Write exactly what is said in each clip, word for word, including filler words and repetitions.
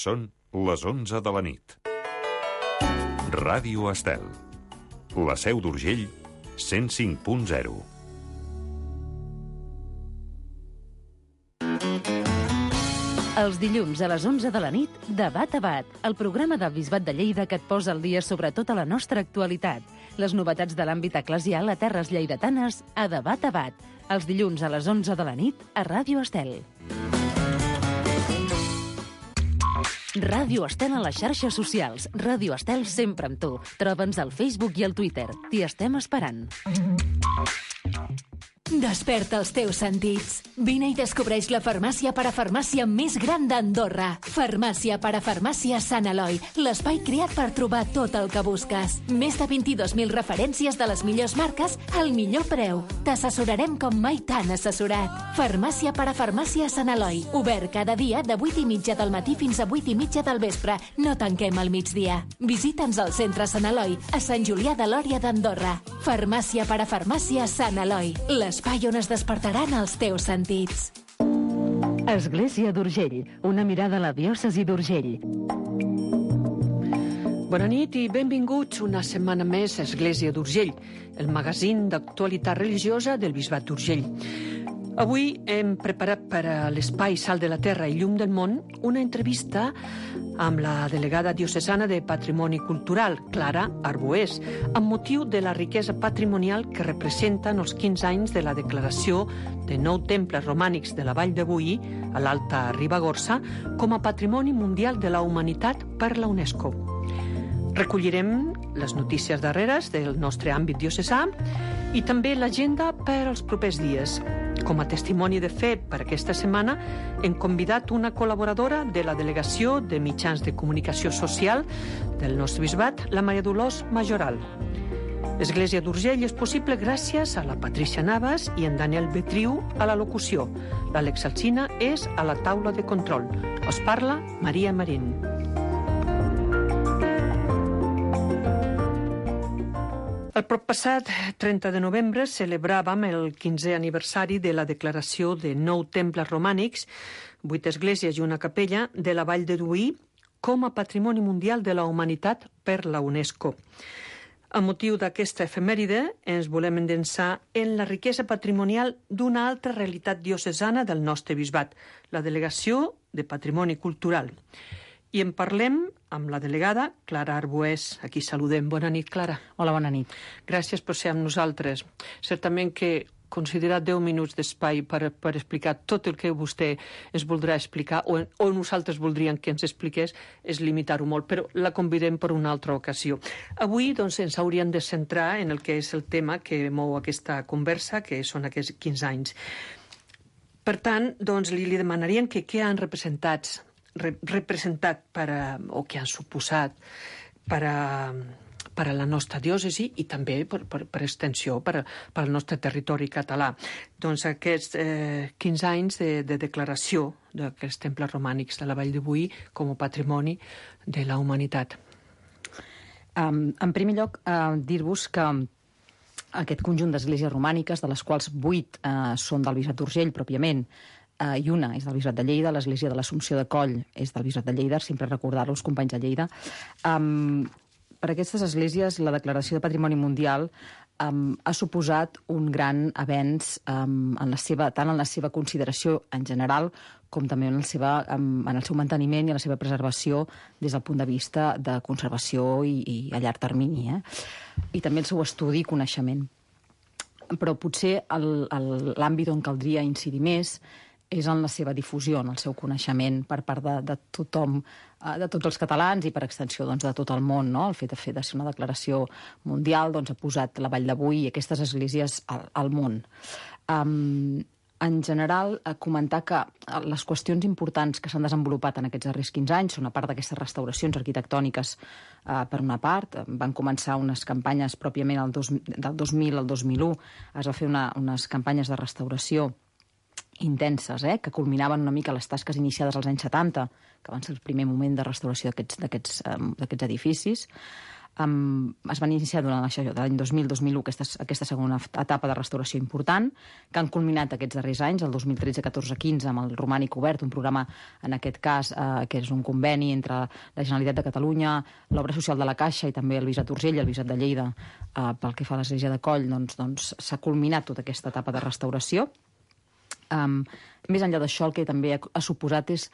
Són les onze de la nit. Ràdio Estel. La Seu d'Urgell, cent cinc punt zero. Els dilluns a les onze de la nit, Debat a Bat, el programa del Bisbat de Lleida que et posa al dia sobre tota la nostra actualitat. Les novetats de l'àmbit eclesial a terres lleidatanes a Debat a Bat. Els dilluns a les onze de la nit a Ràdio Estel. Ràdio Estel a les xarxes socials. Ràdio Estel sempre amb tu. Troba'ns al Facebook i al Twitter. T'hi estem esperant. Desperta els teus sentits. Vine i descobreix la farmàcia parafarmàcia més gran d'Andorra. Farmàcia parafarmàcia Sant Eloi, l'espai creat per trobar tot el que busques. Més de vint-i-dos mil referències de les millors marques al millor preu. T'assessorarem com mai t'han assessorat. Farmàcia parafarmàcia Sant Eloi, obert cada dia de vuit i mitja del matí fins a vuit i mitja del vespre. No tanquem al migdia. Visita'ns al centre Sant Eloi, a Sant Julià de Lòria d'Andorra. Farmàcia parafarmàcia Sant Eloi, l'espai on es despertaran els teus sentits. Església d'Urgell, una mirada a la diòcesi d'Urgell. Bona nit i benvinguts una setmana més a Església d'Urgell, el magazín d'actualitat religiosa del Bisbat d'Urgell. Avui hem preparat per a l'Espai Sal de la Terra i Llum del Món una entrevista amb la delegada diocesana de Patrimoni Cultural, Clara Arbués, amb motiu de la riquesa patrimonial que representen els quinze anys de la declaració de nou temples romànics de la Vall de Boí, a l'Alta Ribagorça, com a Patrimoni Mundial de la Humanitat per la UNESCO. Recollirem les notícies darreres del nostre àmbit diocesà i també l'agenda per als propers dies. Com a testimoni de fe per aquesta setmana, hem convidat una col·laboradora de la Delegació de Mitjans de Comunicació Social del nostre bisbat, la Maria Dolors Majoral. L'Església d'Urgell és possible gràcies a la Patricia Navas i en Daniel Betriu a la locució. L'Àlex Alsina és a la taula de control. Us parla Maria Marín. El proppassat trenta de novembre celebràvem el quinzè aniversari de la declaració de nou temples romànics, vuit esglésies i una capella de la Vall de Boí com a Patrimoni Mundial de la Humanitat per la UNESCO. A motiu d'aquesta efemèride ens volem endensar en la riquesa patrimonial d'una altra realitat diocesana del nostre bisbat, la Delegació de Patrimoni Cultural. I en parlem amb la delegada Clara Arbués. Aquí saludem. Bona nit, Clara. Hola, bona nit. Gràcies per ser amb nosaltres. Certament que considerar deu minuts d'espai per, per explicar tot el que vostè es voldrà explicar o, o nosaltres voldríem que ens expliqués és limitar-ho molt, però la convidem per una altra ocasió. Avui doncs, ens hauríem de centrar en el que és el tema que mou aquesta conversa, que són aquests quinze anys. Per tant, doncs, li, li demanaríem que què han representat representat per a, o que han suposat per a, per a la nostra diòcesi i també per, per, per extensió per, a, per al nostre territori català. Doncs aquests eh, quinze anys de, de declaració d'aquests temples romànics de la Vall de Boí com a patrimoni de la humanitat. Um, en primer lloc, uh, dir-vos que aquest conjunt d'esglésies romàniques, de les quals vuit uh, són del Bisbat d'Urgell pròpiament, Uh, i una és del Bisbat de Lleida, l'Església de l'Assumpció de Coll és del Bisbat de Lleida, sempre recordar-ho, els companys de Lleida. Um, per aquestes esglésies, la Declaració de Patrimoni Mundial um, ha suposat un gran avenç um, en la seva, tant en la seva consideració en general com també en el, seva, um, en el seu manteniment i en la seva preservació des del punt de vista de conservació i, i a llarg termini, eh? I també el seu estudi i coneixement. Però potser l'àmbit on caldria incidir més és en la seva difusió, en el seu coneixement per part de, de tothom, de tots els catalans i per extensió doncs, de tot el món. No? El fet de fer de ser una declaració mundial doncs, ha posat la Vall de Boí i aquestes esglésies al, al món. Um, en general, comentar que les qüestions importants que s'han desenvolupat en aquests darrers quinze anys són a part d'aquestes restauracions arquitectòniques uh, per una part. Van començar unes campanyes pròpiament el dos, del dos mil al dos mil u, es va fer una, unes campanyes de restauració intenses, eh, que culminaven una mica les tasques iniciades als anys setanta, que van ser el primer moment de restauració d'aquests d'aquests um, d'aquests edificis. Um, es van iniciar durant això, de l'any dos mil dos mil u aquesta, aquesta segona etapa de restauració important, que han culminat aquests darrers anys, el dos mil tretze, catorze, quinze, amb el Romànic Obert, un programa, en aquest cas, eh, que és un conveni entre la Generalitat de Catalunya, l'Obra Social de la Caixa i també el Bisbat d'Urgell, el Bisbat de Lleida, eh, pel que fa a l'església de Coll, doncs, doncs s'ha culminat tota aquesta etapa de restauració. Um, més enllà d'això, el que també ha, ha suposat és,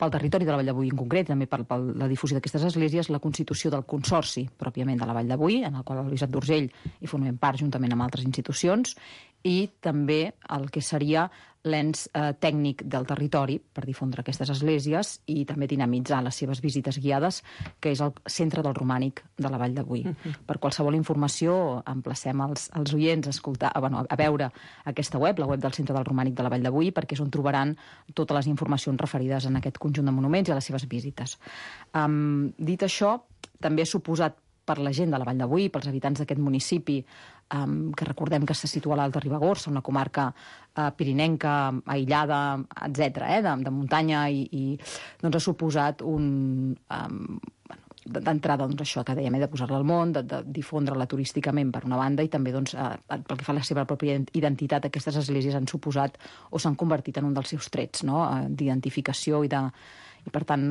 pel territori de la Vall de Boí en concret, també per, per la difusió d'aquestes esglésies, la constitució del consorci pròpiament de la Vall de Boí, en el qual el Bisbat d'Urgell hi formem part juntament amb altres institucions, i també el que seria l'ens eh, tècnic del territori per difondre aquestes esglésies i també dinamitzar les seves visites guiades, que és el centre del romànic de la Vall de Boí. Uh-huh. Per qualsevol informació, emplacem els, els oients a, escoltar, a, bueno, a veure aquesta web, la web del Centre del Romànic de la Vall de Boí, perquè és on trobaran totes les informacions referides en aquest conjunt de monuments i a les seves visites. Um, dit això, també ha suposat per la gent de la Vall de Boí, pels habitants d'aquest municipi, um, que recordem que se situa a l'Alta Ribagorça, una comarca uh, pirinenca, aïllada, etcètera, eh, de, de muntanya, i, i doncs ha suposat un... Um, bueno, d'entrada, doncs, això que dèiem, eh, de posar-la al món, de, de difondre-la turísticament per una banda, i també, doncs, eh, pel que fa a la seva pròpia identitat, aquestes esglésies han suposat o s'han convertit en un dels seus trets, no?, eh, d'identificació i de... i, per tant,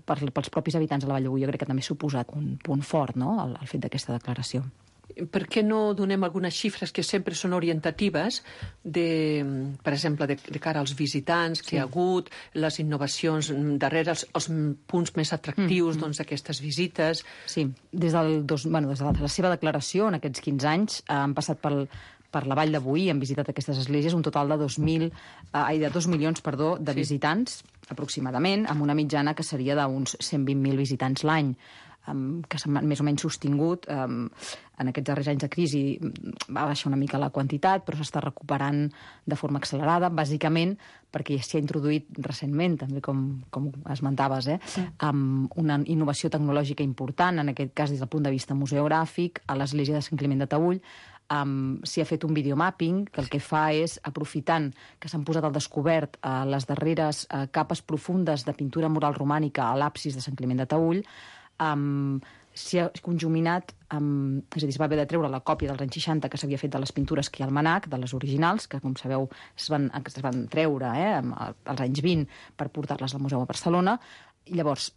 per, pels propis habitants de la Vall de Boí, jo crec que també ha suposat un punt fort, no?, el, el fet d'aquesta declaració. Per què no donem algunes xifres que sempre són orientatives, de, per exemple, de, de cara als visitants que sí. hi ha hagut, les innovacions darrere, els, els punts més atractius mm, doncs, d'aquestes visites? Sí, des, del dos, bueno, des de la seva declaració, en aquests quinze anys, eh, han passat pel, per la Vall de Boí, han visitat aquestes esglésies un total de dos mil, eh, de dos milions, perdó, de sí. visitants, aproximadament, amb una mitjana que seria d'uns cent vint mil visitants l'any, um, que s'ha més o menys sostingut. Um, en aquests darrers anys de crisi va baixar una mica la quantitat, però s'està recuperant de forma accelerada, bàsicament perquè s'hi ha introduït recentment, també com, com esmentaves, eh, sí. um, una innovació tecnològica important, en aquest cas des del punt de vista museogràfic, a l'església de Sant Climent de Taüll. Um, s'hi ha fet un videomapping que el que fa és, aprofitant que s'han posat al descobert uh, les darreres uh, capes profundes de pintura mural romànica a l'absis de Sant Climent de Taüll, um, s'hi ha conjuminat, um, és a dir, es va haver de treure la còpia dels anys seixanta que s'havia fet de les pintures que hi ha al manac, de les originals, que, com sabeu, es van, es van treure eh, als anys vint per portar-les al Museu a Barcelona. I llavors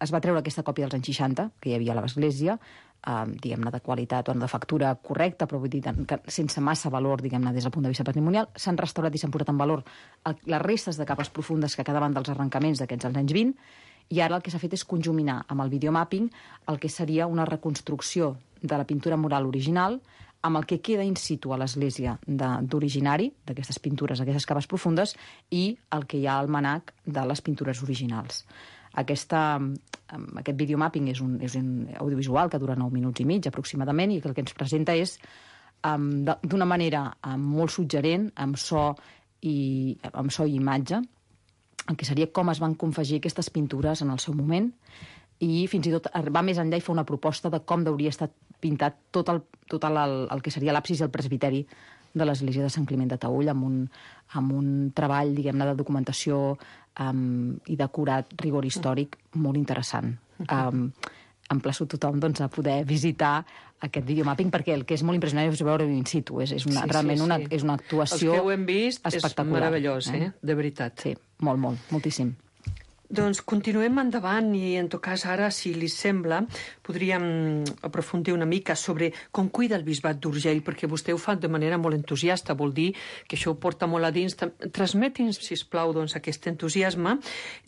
es va treure aquesta còpia dels anys seixanta, que hi havia a l'església, eh, diguem-ne, de qualitat o de factura correcta, però vull dir, que sense massa valor, diguem-ne, des del punt de vista patrimonial. S'han restaurat i s'han posat en valor el, les restes de capes profundes que quedaven dels arrencaments d'aquests anys vint, i ara el que s'ha fet és conjuminar amb el videomapping el que seria una reconstrucció de la pintura mural original amb el que queda in situ a l'església d'originari, d'aquestes pintures, d'aquestes capes profundes, i el que hi ha al manac de les pintures originals. Aquesta, aquest videomapping és un, és un audiovisual que dura nou minuts i mig, aproximadament, i que el que ens presenta és, um, d'una manera um, molt suggerent, amb so, i, amb so i imatge, el que seria com es van confegir aquestes pintures en el seu moment, i fins i tot va més enllà i fa una proposta de com hauria estat pintat tot el, tot el, el que seria l'absis i el presbiteri de l'església de Sant Climent de Taüll, amb un, amb un treball, diguem-ne, de documentació um, i d'acurat rigor històric molt interessant. Um, emplaço tothom, doncs, a poder visitar aquest videomapping, perquè el que és molt impressionant és veure in situ. És, és una, sí, realment sí, sí. Una, és una actuació espectacular. Els que ho hem vist és meravellós, eh? De veritat. Sí, molt, molt, moltíssim. Doncs continuem endavant i, en tot cas, ara, si li sembla, podríem aprofundir una mica sobre com cuida el Bisbat d'Urgell, perquè vostè ho fa de manera molt entusiasta, vol dir que això ho porta molt a dins. Transmeti'ns, sisplau, doncs, aquest entusiasme,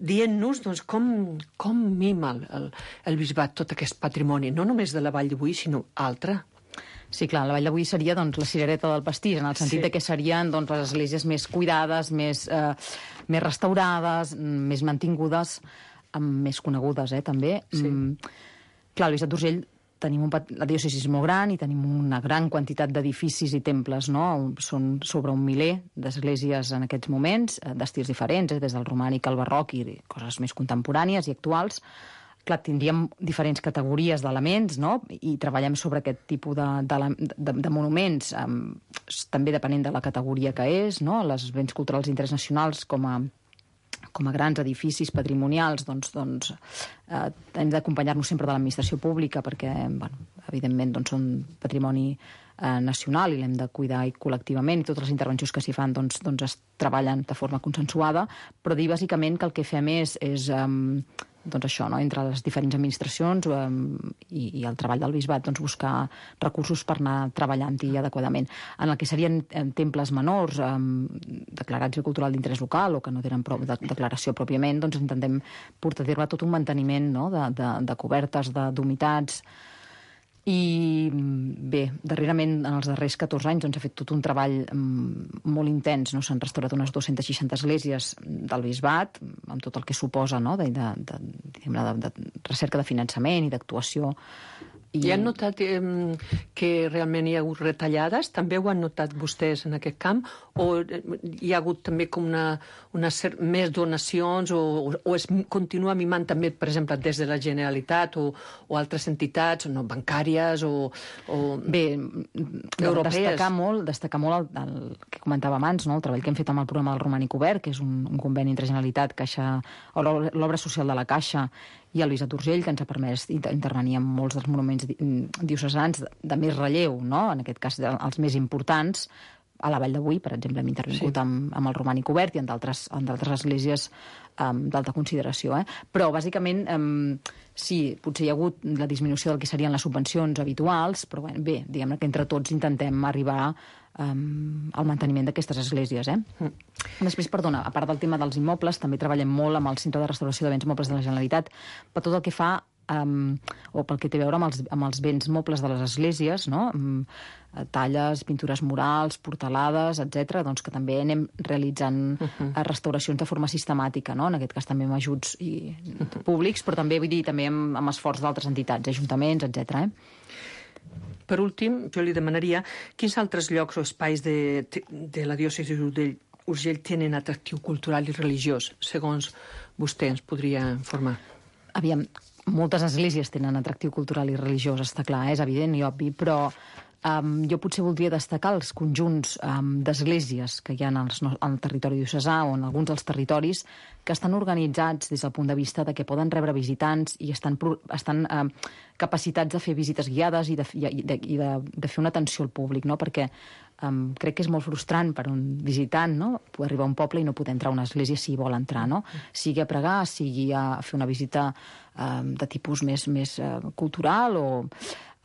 dient-nos doncs, com, com mima el, el Bisbat tot aquest patrimoni, no només de la Vall de Boí, sinó altre. Sí, clar, la Vall de Boí seria doncs, la cirereta del pastís, en el sentit sí. que serien doncs, les esglésies més cuidades, més, eh, més restaurades, més mantingudes, més conegudes, eh, també. Sí. Mm, clar, el Bisbat d'Urgell tenim un, la diòcesi és molt gran i tenim una gran quantitat d'edificis i temples, no? Són sobre un miler d'esglésies en aquests moments, d'estils diferents, eh, des del romànic al barroc i coses més contemporànies i actuals. Clar, tindríem diferents categories d'elements, no? I treballem sobre aquest tipus de, de, de, de monuments, um, també depenent de la categoria que és, no? Les béns culturals d'interès nacionals com a, com a grans edificis patrimonials, doncs, doncs eh, hem d'acompanyar-nos sempre de l'administració pública perquè, bueno, evidentment, doncs, són patrimoni eh, nacional i l'hem de cuidar i col·lectivament, i totes les intervencions que s'hi fan doncs, doncs es treballen de forma consensuada, però dir bàsicament que el que fem és, és um, doncs això, no? Entre les diferents administracions um, i, i el treball del bisbat, doncs buscar recursos per anar treballant-hi adequadament. En el que serien em, temples menors um, declarats bé cultural d'interès local o que no tenen prou de, declaració pròpiament, doncs intentem portar a terme tot un manteniment, no? de, de, de cobertes, de d'humitats. I bé, darrerament, en els darrers catorze anys, doncs, s'ha fet tot un treball mm, molt intens, no? S'han restaurat unes dues-centes seixanta esglésies del bisbat, amb tot el que suposa, no? de, de, de, de, de recerca de finançament i d'actuació. I... I han notat eh, que realment hi ha hagut retallades? També ho han notat vostès en aquest camp? O hi ha hagut també com una, una cer- més donacions o, o es continua mimant també, per exemple, des de la Generalitat o, o altres entitats, no bancàries o, o Bé, europees? Destacar molt, destacar molt el, el que comentava abans, no? El treball que hem fet amb el programa del Romànic Obert, que és un, un conveni entre Generalitat, Caixa, o l'obra social de la Caixa i el Bisbat d'Urgell, que ens ha permès intervenir en molts dels monuments diocesans de, de més relleu, no? En aquest cas els més importants. A la Vall de Boí, per exemple, hem intervingut sí. amb, amb el Romànic Obert i en d'altres esglésies um, d'alta consideració. Eh? Però, bàsicament, um, sí, potser hi ha hagut la disminució del que serien les subvencions habituals, però bé, diguem-ne que entre tots intentem arribar um, al manteniment d'aquestes esglésies. Eh? Mm. Després, perdona, a part del tema dels immobles, també treballem molt amb el Centre de Restauració de Béns Mobles de la Generalitat per tot el que fa Um, o pel que té a veure amb els, amb els béns mobles de les esglésies, no? um, talles, pintures murals, portalades, etcètera, doncs que també anem realitzant uh-huh. restauracions de forma sistemàtica, no? En aquest cas també amb ajuts i, uh-huh. públics, però també, vull dir, també amb, amb esforç d'altres entitats, ajuntaments, etcètera. Eh? Per últim, jo li demanaria quins altres llocs o espais de, de la diòcesi d'Urgell tenen atractiu cultural i religiós, segons vostè ens podria informar. Aviam, moltes esglésies tenen atractiu cultural i religiós, està clar, és evident i obvi, però um, jo potser voldria destacar els conjunts um, d'esglésies que hi ha en els, en el territori diocesà o en alguns dels territoris que estan organitzats des del punt de vista de que poden rebre visitants i estan, estan um, capacitats de fer visites guiades i de, i de, i de, de fer una atenció al públic, no? Perquè um, crec que és molt frustrant per un visitant, no? Poder arribar a un poble i no poder entrar a una església si hi vol entrar, no? Sigui a pregar, sigui a fer una visita um, de tipus més, més uh, cultural o...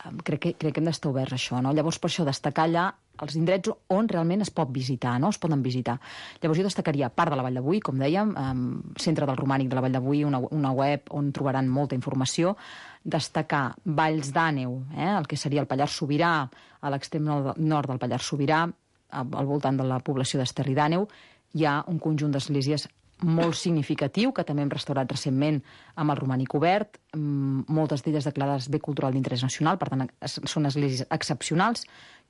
Um, crec, que, crec que hem d'estar oberts a això, no? Llavors, per això, destacar allà els indrets on realment es pot visitar, no? Es poden visitar. Llavors, jo destacaria part de la Vall de Boí, com dèiem, um, Centre del Romànic de la Vall de Boí, una, una web on trobaran molta informació. Destacar Valls d'Àneu, eh? El que seria el Pallars Sobirà, a l'extrem nord del Pallars Sobirà, al voltant de la població d'Esterri d'Àneu, hi ha un conjunt d'esglésies molt significatiu, que també hem restaurat recentment amb el Romànic Obert, moltes d'elles declarades bé cultural d'interès nacional, per tant, són esglésies excepcionals,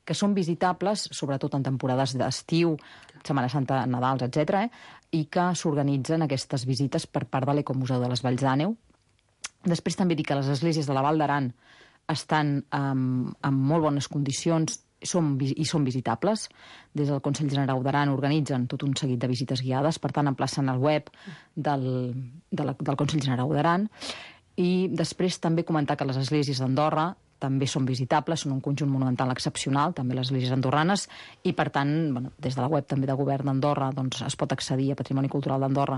que són visitables, sobretot en temporades d'estiu, Setmana Santa, Nadals, etcètera, eh? I que s'organitzen aquestes visites per part de l'Ecomuseu de les Valls d'Àneu. Després també dir que les esglésies de la Val d'Aran estan um, en molt bones condicions Som, i són visitables. Des del Consell Generau d'Aran organitzen tot un seguit de visites guiades, per tant, emplacen el web del, de la, del Consell Generau d'Aran. I després també comentar que les esglésies d'Andorra també són visitables, són un conjunt monumental excepcional, també les esglésies andorranes, i per tant, bueno, des de la web també de Govern d'Andorra doncs, es pot accedir a Patrimoni Cultural d'Andorra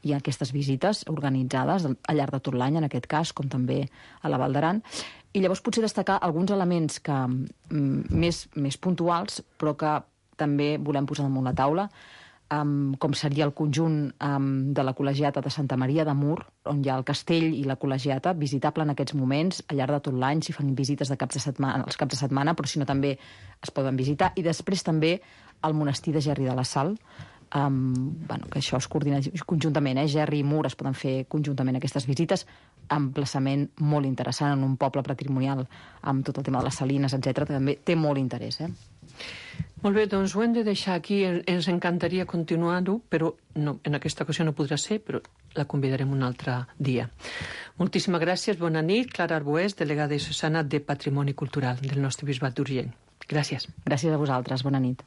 i a aquestes visites organitzades al llarg de tot l'any, en aquest cas, com també a la Val d'Aran. I llavors potser destacar alguns elements que, mm, més, més puntuals, però que també volem posar damunt la taula, um, com seria el conjunt um, de la Col·legiata de Santa Maria de Mur, on hi ha el castell i la col·legiata, visitable en aquests moments, al llarg de tot l'any, si fan visites de caps de setmana, els caps de setmana, però si no també es poden visitar. I després també el monestir de Gerri de la Sal, Um, bueno, que això es coordina conjuntament, eh? Gerri i Mur es poden fer conjuntament aquestes visites, emplaçament molt interessant en un poble patrimonial amb tot el tema de les salines, etcètera, també té molt interès. Eh? Molt bé, doncs ho hem de deixar aquí. Ens encantaria continuar-ho, però no, en aquesta ocasió no podrà ser, però la convidarem un altre dia. Moltíssimes gràcies, bona nit. Clara Arbués, delegada diocesana de Patrimoni Cultural del nostre Bisbat d'Urgell. Gràcies. Gràcies a vosaltres, bona nit.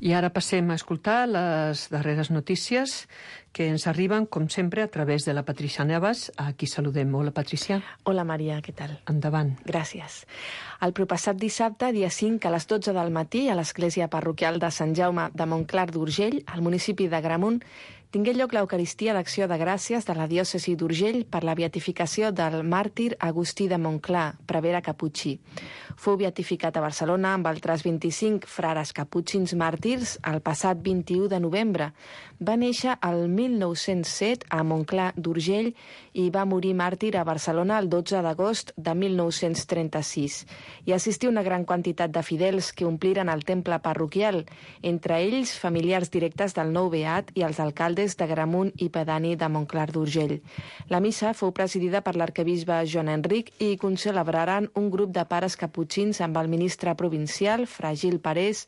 I I ara passem a escoltar les darreres notícies que ens arriben, com sempre, a través de la Patricia Navas, a qui saludem. Hola, Patricia. Hola, Maria, què tal? Endavant. Gràcies. El proppassat dissabte, dia cinc, a les dotze del matí, a l'església parroquial de Sant Jaume de Montclar d'Urgell, al municipi d'Agramunt, tingué lloc l'Eucaristia d'Acció de Gràcies de la diòcesi d'Urgell per la beatificació del màrtir Agustí de Montclar, prevere caputxí. Fou beatificat a Barcelona amb altres vint-i-cinc frares caputxins màrtirs el passat vint-i-u de novembre. Va néixer el mil nou-cents set a Montclar d'Urgell i va morir màrtir a Barcelona el dotze d'agost de mil nou-cents trenta-sis. Hi assistí una gran quantitat de fidels que ompliren el temple parroquial, entre ells familiars directes del nou beat i els alcaldes d'Agramunt i pedani de Montclar d'Urgell. La missa fou presidida per l'arquebisbe Joan Enric i concelebraren un grup de pares caputxins amb el ministre provincial, fra Gil Parés,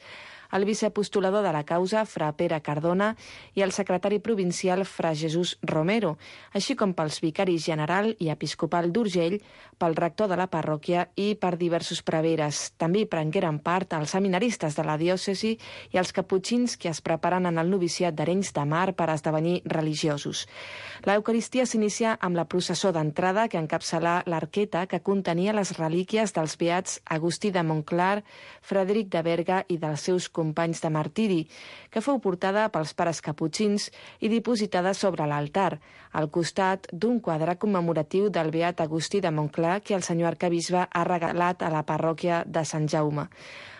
el viceapostolador de la causa, fra Pere Cardona, i el secretari provincial, fra Jesús Romero, així com pels vicaris general i episcopal d'Urgell, pel rector de la parròquia i per diversos preveres. També hi prengueren part els seminaristes de la diòcesi i els caputxins que es preparen en el noviciat d'Arenys de Mar per esdevenir religiosos. L'Eucaristia s'inicia amb la processó d'entrada que encapçalà l'arqueta que contenia les relíquies dels beats Agustí de Montclar, Frederic de Berga i dels seus companys de martiri, que fou portada pels pares caputxins i dipositada sobre l'altar, al costat d'un quadre commemoratiu del beat Agustí de Montclar que el senyor arquebisbe ha regalat a la parròquia de Sant Jaume.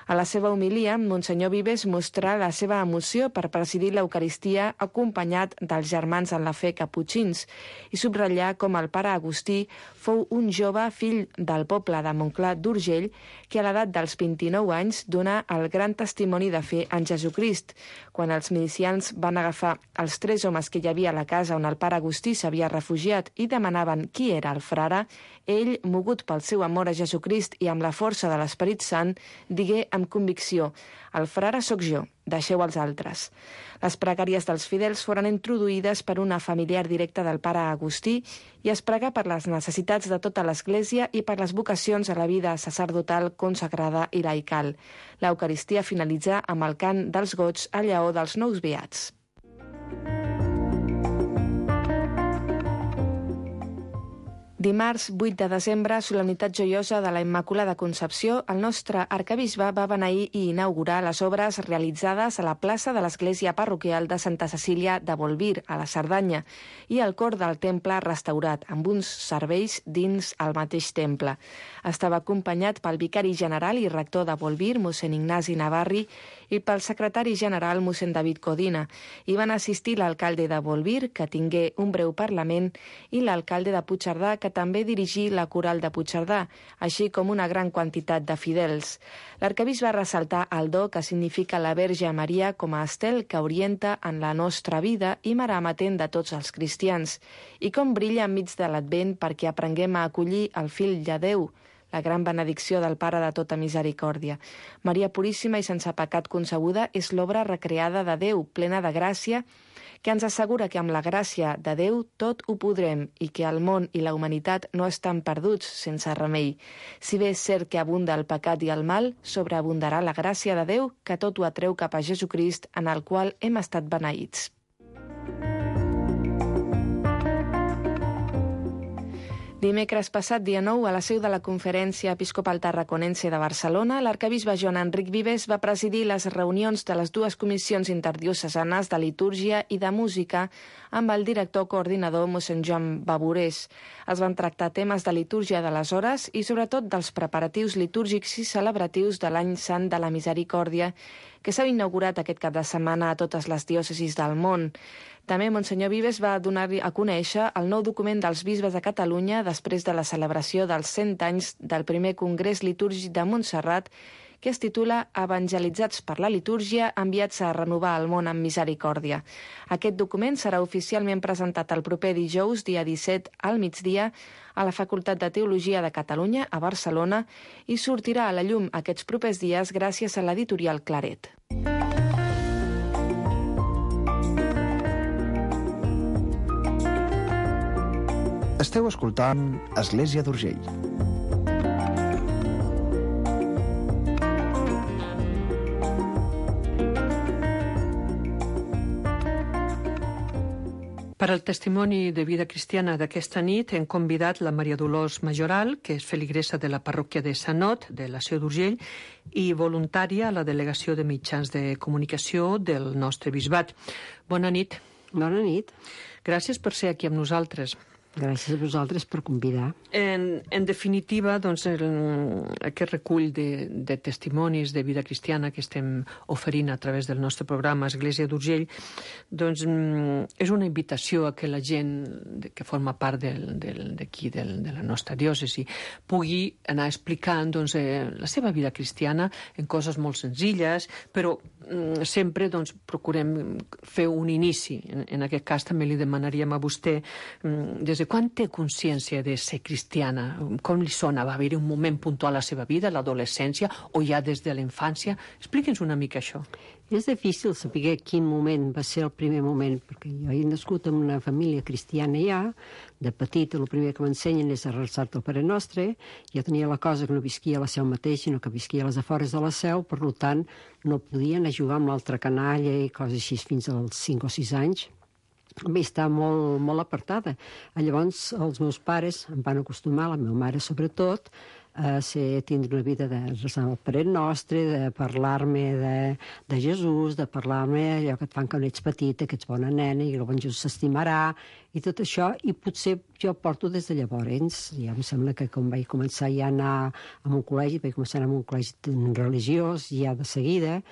A la seva homilia, Monsenyor Vives mostra la seva emoció per presidir l'Eucaristia acompanyat dels germans en la fe caputxins i subratllar com el pare Agustí fou un jove fill del poble de Montclar d'Urgell que a l'edat dels vint-i-nou anys donà el gran testimoni de fe en Jesucrist. Quan els milicians van agafar els tres homes que hi havia a la casa on el pare Agustí s'havia refugiat i demanaven qui era el frare, ell, mogut pel seu amor a Jesucrist i amb la força de l'Esperit Sant, digué amb convicció: «El frare sóc jo, deixeu els altres». Les pregàries dels fidels foren introduïdes per una familiar directa del pare Agustí i es pregà per les necessitats de tota l'Església i per les vocacions a la vida sacerdotal, consagrada i laical. L'Eucaristia finalitza amb el cant dels goigs a llaor dels nous beats. Dimarts, vuit de desembre, solemnitat joiosa de la Immaculada Concepció, el nostre arquebisbe va beneir i inaugurar les obres realitzades a la plaça de l'església parroquial de Santa Cecília de Bolvir, a la Cerdanya, i el cor del temple restaurat, amb uns serveis dins el mateix temple. Estava acompanyat pel vicari general i rector de Bolvir, mossèn Ignasi Navarri, i pel secretari general, mossèn David Codina. Hi van assistir l'alcalde de Bolvir, que tingué un breu parlament, i l'alcalde de Puigcerdà, que també dirigí la coral de Puigcerdà, així com una gran quantitat de fidels. L'arquebisbe va ressaltar el do que significa la Verge Maria com a estel que orienta en la nostra vida i mare amatent de tots els cristians, i com brilla enmig de l'Advent perquè aprenguem a acollir el fill de Déu, la gran benedicció del Pare de tota misericòrdia. Maria Puríssima i sense pecat concebuda és l'obra recreada de Déu, plena de gràcia, que ens assegura que amb la gràcia de Déu tot ho podrem i que el món i la humanitat no estan perduts sense remei. Si bé és cert que abunda el pecat i el mal, sobreabundarà la gràcia de Déu que tot ho atreu cap a Jesucrist, en el qual hem estat beneïts. Dimecres passat, dia nou, a la seu de la Conferència Episcopal Tarraconense de Barcelona, l'arquebisbe Joan Enric Vives va presidir les reunions de les dues comissions interdiocesanes de litúrgia i de música amb el director coordinador mossèn Joan Baburés. Es van tractar temes de litúrgia de les hores i sobretot dels preparatius litúrgics i celebratius de l'Any Sant de la Misericòrdia, que s'ha inaugurat aquest cap de setmana a totes les diòcesis del món. També Monsenyor Vives va donar a conèixer el nou document dels bisbes de Catalunya després de la celebració dels cent anys del primer Congrés Litúrgic de Montserrat, que es titula Evangelitzats per la litúrgia, enviats a renovar el món amb misericòrdia. Aquest document serà oficialment presentat el proper dijous, dia disset, al migdia, a la Facultat de Teologia de Catalunya, a Barcelona, i sortirà a la llum aquests propers dies gràcies a l'editorial Claret. Esteu escoltant Església d'Urgell. Per al testimoni de vida cristiana d'aquesta nit hem convidat la Maria Dolors Majoral, que és feligresa de la parròquia de Sant Ot, de la Seu d'Urgell, i voluntària a la Delegació de Mitjans de Comunicació del nostre bisbat. Bona nit. Bona nit. Gràcies per ser aquí amb nosaltres. Gràcies a vosaltres per convidar. En, en definitiva, doncs, el, aquest recull de, de testimonis de vida cristiana que estem oferint a través del nostre programa Església d'Urgell, doncs, és una invitació a que la gent que forma part d'aquí, de, de la nostra diòcesi, pugui anar explicant doncs, eh, la seva vida cristiana en coses molt senzilles, però mm, sempre doncs, procurem fer un inici. En, en aquest cas també li demanaríem a vostè mm, des de quan té consciència de ser cristiana? Com li sona? Va haver-hi un moment puntual a la seva vida, l'adolescència, o ja des de la infància? Expliqui'ns una mica això. És difícil saber quin moment va ser el primer moment, perquè jo he nascut en una família cristiana ja, de petita el primer que m'ensenyen és a rezar-te el Pare Nostre, ja tenia la cosa que no visquia a la Seu mateix, sinó que visquia a les afores de la Seu, per tant no podia anar a jugar amb l'altra canalla i coses així fins als cinc o sis anys. Bé, està molt, molt apartada. Llavors, els meus pares em van acostumar, la meva mare sobretot, a ser, tindre una vida de resar el Pare Nostre, de parlar-me de, de Jesús, de parlar-me allò que et fan quan ets petita, que ets bona nena i que el bon Jesús s'estimarà, i tot això, i potser jo porto des de llavors. Ja em sembla que com vaig començar ja a anar a un col·legi, vaig començar a anar a un col·legi religiós ja de seguida,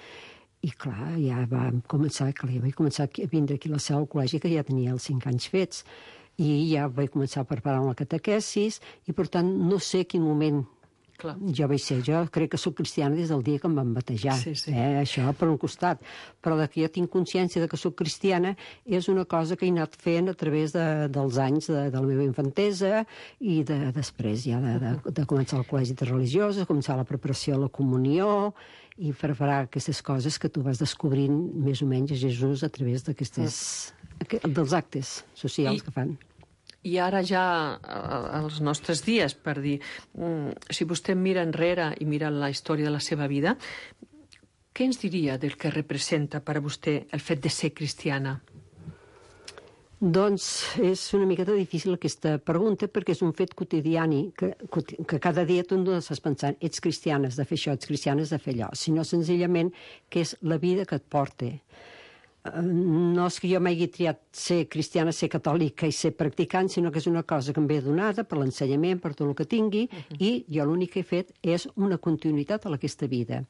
i clar, ja vam començar, clar, ja vaig començar a vindre aquí a la Seu al col·legi, que ja tenia els cinc anys fets, i ja vaig començar a preparar la catequesis, i per tant no sé quin moment clar. Jo vaig ser. Jo crec que soc cristiana des del dia que em van batejar, sí, sí. Eh, això per un costat. Però de que jo tinc consciència de que soc cristiana és una cosa que he anat fent a través de, dels anys de, de la meva infantesa i de, després ja de, de, de començar el col·legi de religioses, començar la preparació a la comunió, i preparar aquestes coses que tu vas descobrint més o menys a Jesús a través d'aquestes, dels actes socials I, que fan. I ara ja als nostres dies, per dir, si vostè mira enrere i mira la història de la seva vida, què ens diria del que representa per a vostè el fet de ser cristiana? Doncs és una miqueta difícil aquesta pregunta perquè és un fet quotidiani que, que cada dia tu no estàs pensant ets cristiana, has de fer això, ets cristiana, has de fer allò, sinó senzillament que és la vida que et porta. No és que jo m'hagi triat ser cristiana, ser catòlica i ser practicant, sinó que és una cosa que em ve donada per l'ensenyament, per tot el que tingui, uh-huh. i jo l'únic que he fet és una continuïtat a aquesta vida.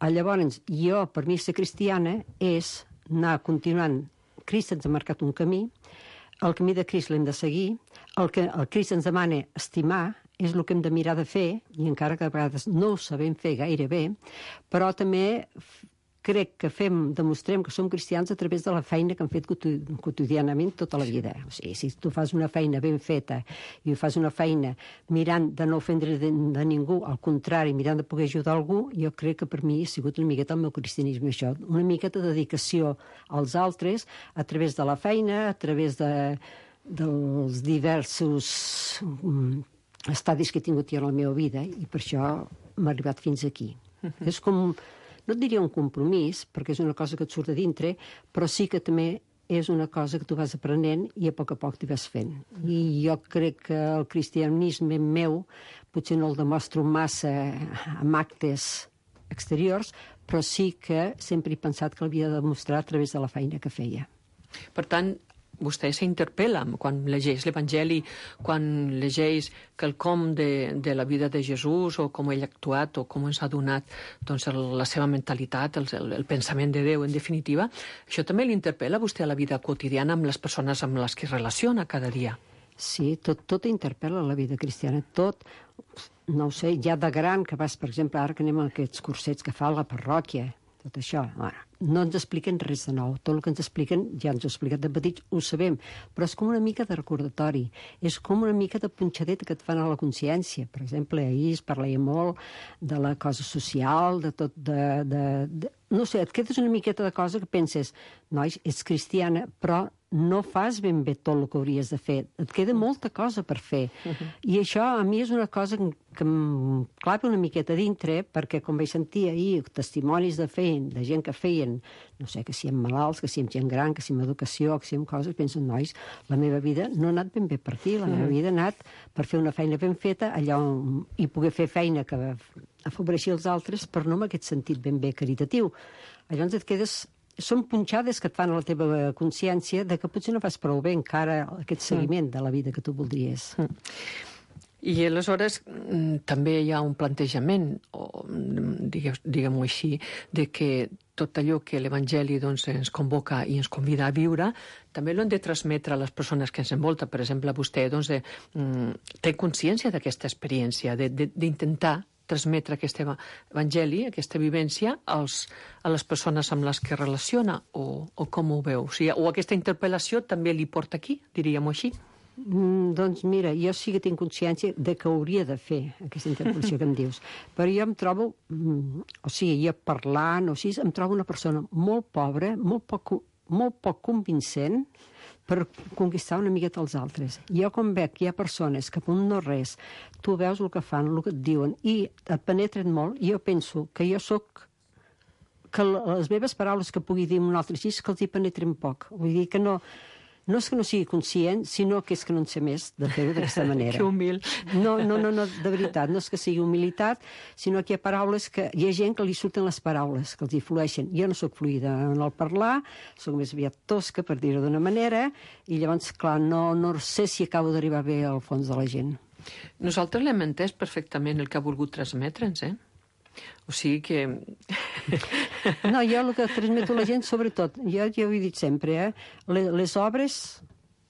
Llavors, jo, per mi, ser cristiana és anar continuant. Crist ens ha marcat un camí, el camí de Crist l'hem de seguir, el que el Crist ens demana estimar és el que hem de mirar de fer, i encara que a vegades no ho sabem fer gaire bé, però també crec que fem, demostrem que som cristians a través de la feina que hem fet quotidianament tota la vida. O sigui, si tu fas una feina ben feta i fas una feina mirant de no ofendre de, de ningú, al contrari, mirant de poder ajudar algú, jo crec que per mi ha sigut una miqueta el meu cristianisme això, una miqueta de dedicació als altres a través de la feina, a través de, dels diversos um, estadis que he tingut jo en la meva vida, i per això m'ha arribat fins aquí. Uh-huh. És com... no et diria un compromís, perquè és una cosa que et surt de dintre, però sí que també és una cosa que tu vas aprenent i a poc a poc t'hi vas fent. I jo crec que el cristianisme meu potser no el demostro massa amb actes exteriors, però sí que sempre he pensat que l'havia de demostrar a través de la feina que feia. Per tant, vostè s'interpel·la quan llegeix l'Evangeli, quan llegeix quelcom de, de la vida de Jesús, o com ell ha actuat, o com ens ha donat doncs, el, la seva mentalitat, el, el, el pensament de Déu, en definitiva. Això també l'interpel·la a vostè a la vida quotidiana amb les persones amb les que es relaciona cada dia? Sí, tot, tot interpel·la la vida cristiana, tot. No ho sé, ja de gran, que vas, per exemple, ara que anem a aquests cursets que fa la parròquia, tot això, bueno, no ens expliquen res de nou. Tot el que ens expliquen, ja ens ho ha explicat de petits, ho sabem, però és com una mica de recordatori, és com una mica de punxadeta que et fan a la consciència. Per exemple, ahir es parlava molt de la cosa social, de tot, de, de, de... no sé, et quedes una miqueta de cosa que penses, nois, ets cristiana, però no fas ben bé tot el que hauries de fer. Et queda molta cosa per fer. Uh-huh. I això a mi és una cosa que, que em clava una miqueta dintre, perquè com vaig sentir ahir testimonis de feien, de gent que feien, no sé, que si amb malalts, que si amb gent gran, que si amb educació, que si amb coses, penso, nois, la meva vida no ha anat ben bé per aquí, la uh-huh. meva vida ha anat per fer una feina ben feta, allò, i poder fer feina que afavoreixi els altres, però no en aquest sentit ben bé caritatiu. Llavors et quedes... Són punxades que et fan a la teva consciència de que potser no fas prou bé encara aquest seguiment de la vida que tu voldries. I aleshores també hi ha un plantejament, o diguem-ho així, de que tot allò que l'Evangeli doncs, ens convoca i ens convida a viure, també l'hem de transmetre a les persones que ens envolten. Per exemple, vostè doncs, de, té consciència d'aquesta experiència, d'intentar transmetre aquest evangeli, aquesta vivència, als, a les persones amb les que relaciona, o, o com ho veu? O, sigui, o aquesta interpel·lació també li porta aquí, diríem-ho així? Mm, doncs mira, jo sí que tinc consciència de que hauria de fer aquesta interpel·lació que em dius, però jo em trobo, mm, o sigui, jo parlant, o sigui, em trobo una persona molt pobra, molt poc, molt poc convincent, per conquistar una miqueta els altres. Jo com veig que hi ha persones que per un no res, tu veus el que fan, el que et diuen, i et penetren molt, i jo penso que jo sóc, que les meves paraules que pugui dir un altre així, que els hi penetren poc. Vull dir que no... No és que no sigui conscient, sinó que és que no en sé més de fer-ho d'aquesta manera. Que humil. No, no, no, no, de veritat, no és que sigui humilitat, sinó que hi ha paraules que... Hi ha gent que li surten les paraules, que els hi flueixen. Jo no sóc fluida en el parlar, sóc més aviat tosca, per dir-ho d'una manera, i llavors, clar, no, no sé si acabo d'arribar bé al fons de la gent. Nosaltres l'hem entès perfectament el que ha volgut transmetre'ns, eh? O sigui que... No, jo el que transmeto a la gent, sobretot, jo, jo ho he dit sempre, eh? les, les obres,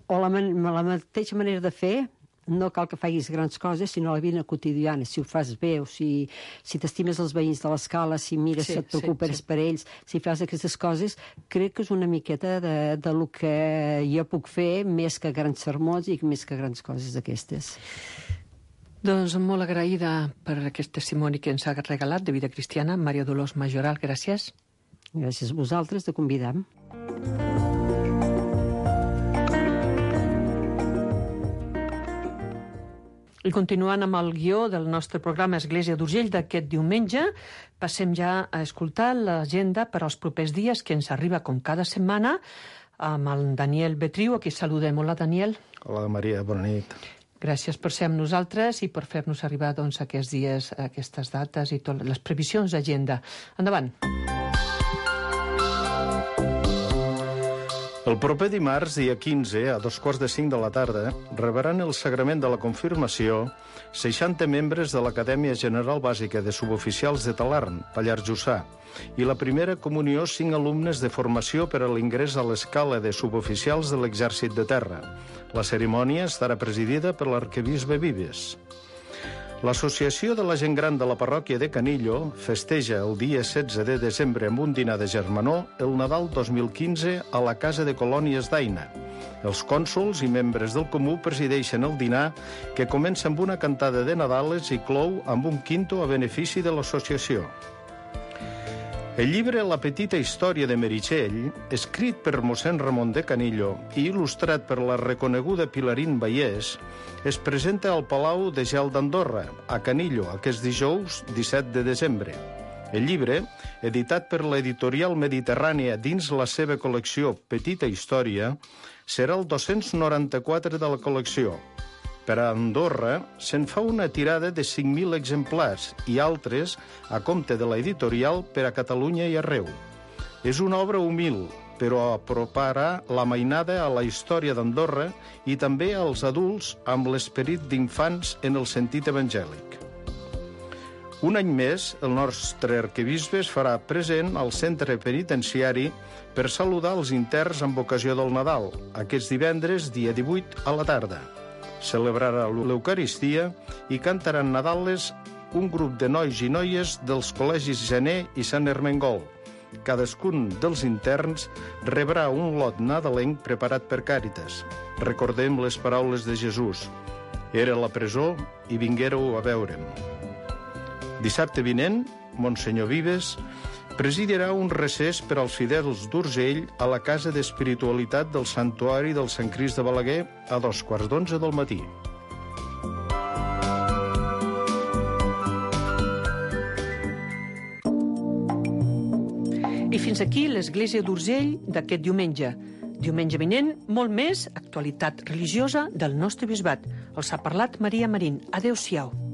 o la, man la mateixa manera de fer, no cal que facis grans coses, sinó la vida quotidiana, si ho fas bé, o si, si t'estimes els veïns de l'escala, si mires, sí, et preocupes sí, sí. per ells, si fas aquestes coses, crec que és una miqueta de, de lo que jo puc fer, més que grans sermons i més que grans coses d'aquestes. Doncs molt agraïda per aquest testimoni que ens ha regalat de vida cristiana, Maria Dolors Majoral, gràcies. Gràcies a vosaltres de convidar. I continuant amb el guió del nostre programa Església d'Urgell d'aquest diumenge, passem ja a escoltar l'agenda per als propers dies que ens arriba com cada setmana amb el Daniel Betriu, a qui saludem. Hola, Daniel. Hola, Maria, bona nit. Gràcies per ser amb nosaltres i per fer-nos arribar doncs, aquests dies, aquestes dates i totes les previsions d'agenda. Endavant. El proper dimarts, dia quinze, a dos quarts de cinc de la tarda, rebran el sagrament de la confirmació seixanta membres de l'Acadèmia General Bàsica de Suboficials de Talarn, Pallars Jussà, i la primera comunió cinc alumnes de formació per a l'ingrés a l'escala de suboficials de l'Exèrcit de Terra. La cerimònia estarà presidida per l'arquebisbe Vives. L'Associació de la Gent Gran de la Parròquia de Canillo festeja el dia setze de desembre amb un dinar de germanor el Nadal dos mil quinze a la Casa de Colònies d'Aina. Els cònsols i membres del comú presideixen el dinar, que comença amb una cantada de Nadales i clou amb un quinto a benefici de l'associació. El llibre La petita història de Meritxell, escrit per mossèn Ramon de Canillo i il·lustrat per la reconeguda Pilarín Vallès, es presenta al Palau de Gel d'Andorra, a Canillo, aquest dijous disset de desembre. El llibre, editat per l'editorial Mediterrània dins la seva col·lecció Petita Història, serà el dos-cents noranta-quatre de la col·lecció. Per a Andorra se'n fa una tirada de cinc mil exemplars i altres a compte de l'editorial per a Catalunya i arreu. És una obra humil, però aproparà la mainada a la història d'Andorra i també als adults amb l'esperit d'infants en el sentit evangèlic. Un any més, el nostre arquebisbe es farà present al centre penitenciari per saludar els interns amb ocasió del Nadal, aquest divendres, dia divuit, a la tarda. Celebrarà l'Eucaristia i cantaran Nadales un grup de nois i noies dels col·legis Gener i Sant Ermengol. Cadascun dels interns rebrà un lot nadalenc preparat per Càritas. Recordem les paraules de Jesús. Era a la presó i vinguéreu a veure'm. Dissabte vinent, Monsenyor Vives presidirà un recés per als fidels d'Urgell a la Casa d'Espiritualitat del Santuari del Sant Crist de Balaguer a dos quarts d'onze del matí. I fins aquí l'Església d'Urgell d'aquest diumenge. Diumenge vinent, molt més actualitat religiosa del nostre bisbat. Els ha parlat Maria Marín. Adéu-siau.